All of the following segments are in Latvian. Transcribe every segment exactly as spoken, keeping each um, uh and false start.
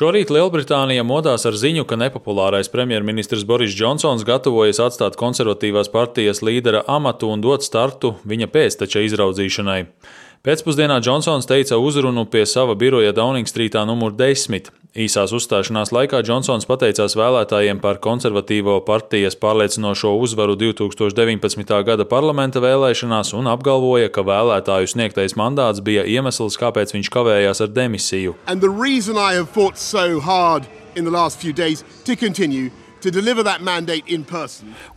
Šorīt Lielbritānija modās ar ziņu, ka nepopulārais premjerministrs Boris Džonsons gatavojas atstāt konservatīvās partijas līdera amatu un dot startu viņa pēcteča izraudzīšanai. Pēcpusdienā Džonsons teica uzrunu pie sava biroja Dauningstrītā numur desmit. Īsās uzstāšanās laikā Džonsons pateicās vēlētājiem par konservatīvo partijas pārliecinošo uzvaru divi tūkstoši deviņpadsmitā gada parlamenta vēlēšanās un apgalvoja, ka vēlētāju sniegtais mandāts bija iemesls, kāpēc viņš kavējās ar demisiju.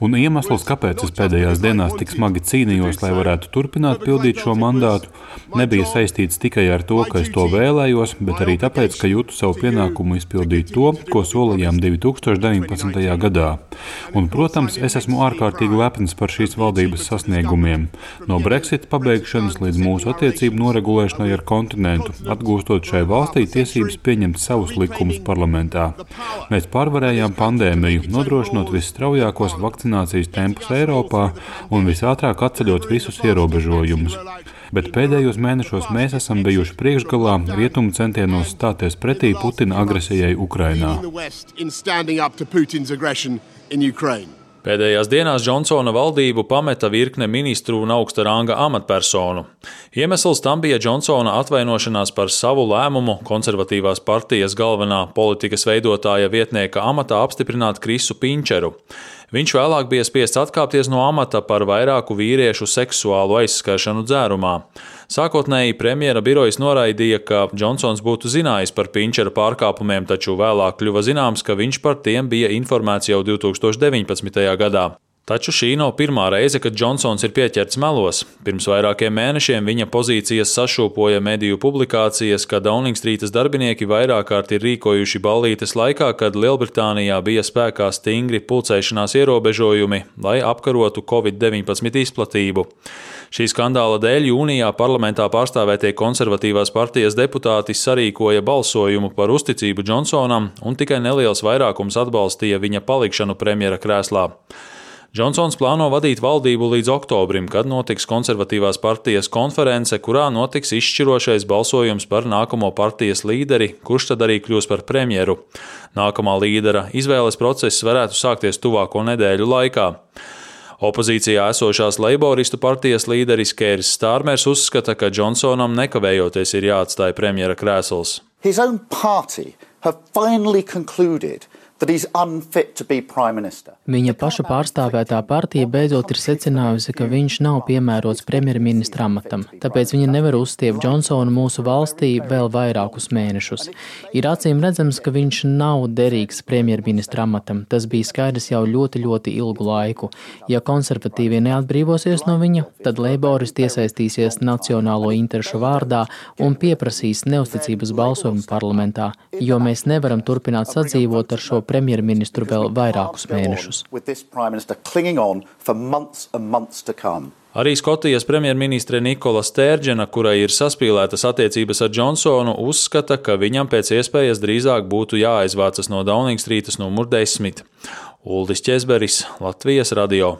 Un iemesls, kāpēc es pēdējās dienās tik smagi cīnījos, lai varētu turpināt pildīt šo mandātu, nebija saistīts tikai ar to, ka es to vēlējos, bet arī tāpēc, ka jūtu savu pienākumu izpildīt to, ko solījām divi tūkstoši deviņpadsmitajā gadā. Un, protams, es esmu ārkārtīgi lepns par šīs valdības sasniegumiem. No Brexit pabeigšanas līdz mūsu attiecību noregulēšanai ar kontinentu, atgūstot šai valstī tiesības pieņemt savus likumus parlamentā. Mēs pārvarējām pandēmiju, nodrošinot visstraujākos vakcinācijas tempus Eiropā un visātrāk atceļot visus ierobežojumus. Bet pēdējos mēnešos mēs esam bijuši priekšgalā rietumu centienos stāties pretī Putina agresijai Ukrainā. Pēdējās dienās Džonsona valdību pameta virkne ministru un augsta ranga amatpersonu. Iemesls tam bija Džonsona atvainošanās par savu lēmumu konservatīvās partijas galvenā politikas veidotāja vietnieka amatā apstiprināt Krisu Pinčeru. Viņš vēlāk bija spiests atkāpties no amata par vairāku vīriešu seksuālu aizskaršanu dzērumā. Sākotnēji premjera birojas noraidīja, ka Džonsons būtu zinājis par Pinčera pārkāpumiem, taču vēlāk kļuva zināms, ka viņš par tiem bija informēts jau divi tūkstoši deviņpadsmitajā gadā. Taču šī nav pirmā reize, kad Džonsons ir pieķerts melos. Pirms vairākiem mēnešiem viņa pozīcijas sašūpoja mediju publikācijas, ka Dauningstrītas darbinieki vairāk kārt ir rīkojuši ballītes laikā, kad Lielbritānijā bija spēkā stingri pulcēšanās ierobežojumi, lai apkarotu covid deviņpadsmit izplatību. Šī skandāla dēļ jūnijā parlamentā pārstāvētie konservatīvās partijas deputāti sarīkoja balsojumu par uzticību Džonsonam, un tikai neliels vairākums atbalstīja viņa palikšanu premjera krēslā. Džonsons plāno vadīt valdību līdz oktobrim, kad notiks konservatīvās partijas konference, kurā notiks izšķirošais balsojums par nākamo partijas līderi, kurš tad arī kļūs par premjeru. Nākamā līdera izvēles process varētu sākties tuvāko nedēļu laikā. Opozīcijā esošās Leiboristu partijas līderis Keirs Stārmers uzskata, ka Džonsonam nekavējoties ir jāatstāj premjera krēsls. His own party have finally concluded that he's unfit to be prime minister. Viņa paša pārstāvētā partija beidzot ir secinājusi, ka viņš nav piemērots premjerministra amatam, tāpēc viņa nevar uzstiept Džonsonu mūsu valstī vēl vairākus mēnešus. Ir acīm redzams, ka viņš nav derīgs premjerministra amatam. Tas bija skaidrs jau ļoti, ļoti ilgu laiku. Ja konservatīvie neatbrīvosies no viņa, tad leiboristi iesaistīsies nacionālo interešu vārdā un pieprasīs neusticības balsojumu parlamentā, jo mēs nevaram turpināt sadzīvot ar šo premjerministru vēl vairākus mēnešus. Arī Skotijas premjerministre Nikola Stērdžena, kurai ir saspīlētas attiecības ar Džonsonu, uzskata, ka viņam pēc iespējas drīzāk būtu jāaizvācas no Dauningstrītas numur desmit. Uldis Ķezberis, Latvijas radio.